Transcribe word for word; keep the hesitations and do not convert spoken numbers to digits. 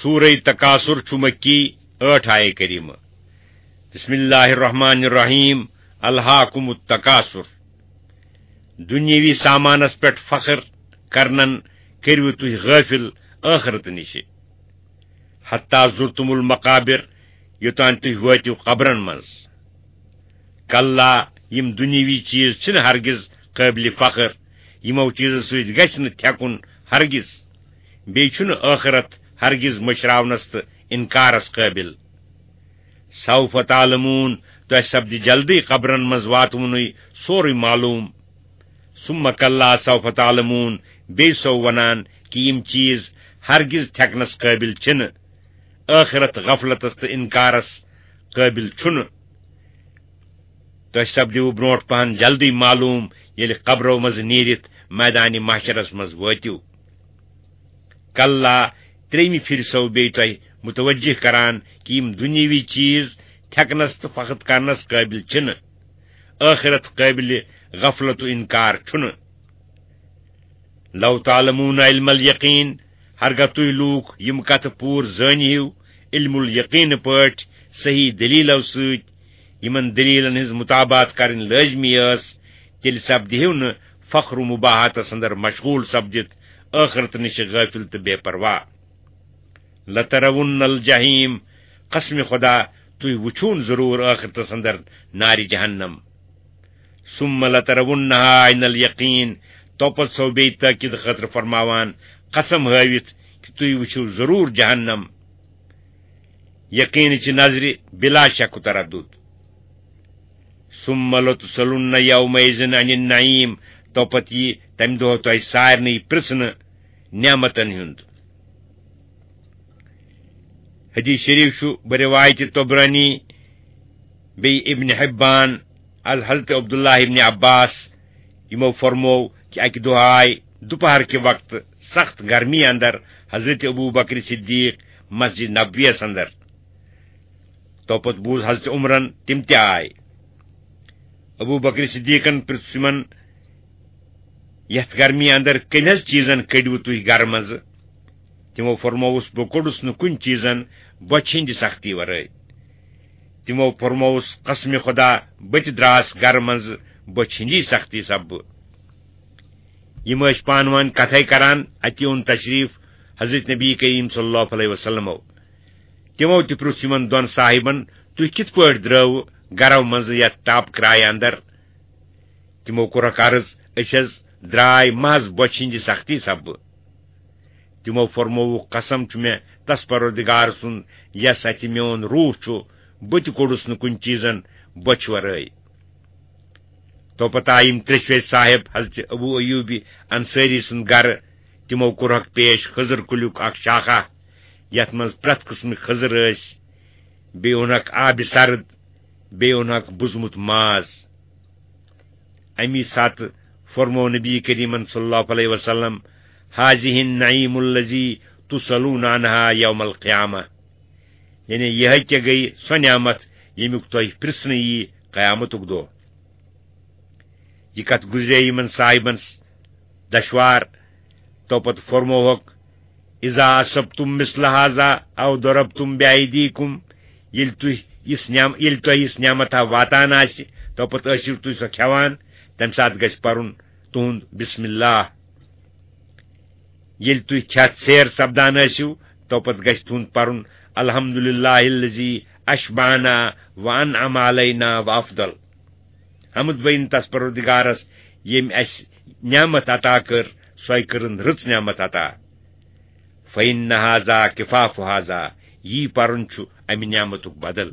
سورہ تکاثر چھُ مکی، ٲٹھ آیے کریمہ۔ بسم اللہ الرحمن الرحیم۔ الہاکم التکاثر۔ دنیاوی سامانس پٮ۪ٹھ فخر کرنن کٔرِو تُہۍ غٲفل ٲخرت نِشہِ۔ حتی زرتم المقابر، یوٚتام تُہۍ وٲتِو قبرن منٛز۔ کلا، یِم دُنیاوی چیز چھِنہٕ ہرگز قٲبلِ فخر، یِمو چیزو سۭتۍ گژھِ نہٕ تھٮ۪کُن ہرگز۔ بیٚیہِ چھُنہٕ ٲخرت ہرگز مٔشراونس تہٕ انکارس قٲبل۔ سوف تعلمون، تۄہہِ سپدِ جلدی قبرن منٛز واتوُنُے سورُے معلوم۔ ثم کلا سوف تعلمون، بیٚیہِ سو ونان کہِ یِم چیز ہرگز تھٮ۪کنس قٲبل چھِنہٕ۔ ٲخرت غفلتس تہٕ انکارس قٲبل چھُنہٕ۔ تۄہہِ سپدِوٕ برونٛٹھ پہن جلدی معلوم، ییٚلہِ قبرو منٛزٕ نیٖرِتھ میدانِ محشرس منٛز وٲتِو۔ کلا، ترٛیٚیمہِ پھِرِ سو بیٚیہِ تۄہہِ متوجہ کران کہِ یِم دُنیاوی چیز تھٮ۪کنس تہٕ فخر کرنس قٲبل چھِنہٕ، ٲخرت قٲبلِ غفلت و انکار چھُنہٕ۔ لو تعلمون علم الیقین، ہرگاہ تُہۍ لوٗکھ یِم کتھٕ پوٗرٕ زٲنۍ ہِو علم الیقین پٲٹھۍ، صحیح دلیلو سۭتۍ، یِمن دلیلن ہٕنٛز مطابعت کرٕنۍ لٲزمی ٲس، تیٚلہِ سپدِہِو نہٕ فخر و مباہاتس اندر مشغول سپدِتھ ٲخرت نِش غٲفل تہٕ بے پرواہ۔ لترون الجحیم، قسم خدا، تُہۍ وٕچھون ضروٗر ٲخرتس اندر نارِ جہنم۔ ثم لترونها عین الیقین، توپت سو بیٚیہِ تٲکید خٲطرٕ فرماوان، قسم ہٲوِتھ کہِ تُہۍ وٕچھِو ضروٗر جہنم، یقینٕچہِ نظرِ بلا شک و تردد۔ ثم لتسألن یومئذ عن النعیم، توپت یی تمہِ دۄہ تۄہہِ سارنٕے پرژھنہٕ نعمتن ہُنٛد۔ حدیث شریف چھُ بروایت طبرانی، بیٚیہِ ابن حبان، از حضرت عبداللہ ابن عباس، یِمو فرموو کہِ اکہِ دۄہ آے دُپہر کہِ وقتہٕ سخت گرمی اندر حضرت ابو بکر صدیق مسجد نبویس اندر۔ توپت بوٗز حضرت عمرن، تِم تہِ آے۔ ابو بکر صدیقن پرژھ تِمن، یتھ گرمی اندر کٔمۍ حض چیزن کٔڈِوٕ تُہۍ گرٕ منٛزٕ؟ تِمو فرمووُس، بہٕ کوٚڑُس نہٕ کُنہِ چیزن بۄچھِ ہٕنٛدِ سختی ورٲے۔ تِمو فرمووُس، قسمِ خدا، بہٕ تہِ دراس گرٕ منٛزٕ بۄچھِ ہٕنٛدی سختی سببہٕ۔ یِم ٲسۍ پانہٕ ؤنۍ کتھے کران، اتی اوٚن تشریف حضرت نبی کریم صلی اللہ علیہ وسلمو۔ تِمو تہِ پرُژھ یِمن دۄن صاحبن، تُہۍ کِتھ پٲٹھۍ درٲوٕ گرو منٛزٕ یتھ تاپہٕ کرایہِ اندر؟ تِمو کوٚرکھ عرض، أسۍ حض درٛاے محض بۄچھِ ہٕنٛدِ سختی سببہٕ۔ تِمو فرمووُکھ، قسم چھُ مےٚ تس پروردگار سُنٛد، یس اتھِ میون روح چھُ، بہٕ تہِ کوٚڑُس نہٕ کُنہِ چیزن بۄچھِ ورٲے۔ توپتہٕ آیہِ یِم ترٛیٚشوے صاحب حضرت ابو ایوب انصاری سُنٛد گرٕ۔ تِمو کوٚرہکھ پیش خضر کُلیُک اکھ شاخہ، یتھ منٛز پرٛٮ۪تھ قٕسمٕکۍ خضر ٲسۍ، بیٚیہِ اوٚنہکھ آبِ سرد، بیٚیہِ اوٚنہکھ بُزمُت ماز۔ امی ساتہٕ فرموو نبی کریمن صلی اللہ علیہ وسلم، هذه النعیم الذی تسألون عنها یوم القیامہ، یعنی یہے کیا گٔیہِ سۄ نعمت ییٚمیُک تۄہہِ پرژھنہٕ یی قیامتُک دۄہ۔ یہِ کتھ گُزرے یِمن صاحبن دشوار۔ توپتہٕ فرمووکھ، اذا اصبتم مثل هذا او ضربتم بأیدیکم، ییٚلہِ تُہۍ یِژھ نعم-، ییٚلہِ تۄہہِ یِژھ نعمتہ واتان آسہِ، توپتہٕ ٲسِو تُہۍ سۄ کھٮ۪وان، تمہِ ساتہٕ گژھِ پرُن تُہُنٛد بسم اللہ۔ ییٚلہِ تُہۍ کھٮ۪تھ سیر سپدان ٲسِو، توپتہٕ گژھِ تُہُنٛد پرُن، الحمد للہ الذی اشبعنا وانعم علینا وافضل۔ حمد بین تس پروردگارس، ییٚمۍ اسہِ نعمت عطا کٔر، سۄے کٔرٕن رٕژ نعمت عطا۔ فإن هذا کفاف هذا، یی پرُن چھُ امہِ نعمتُک بدل۔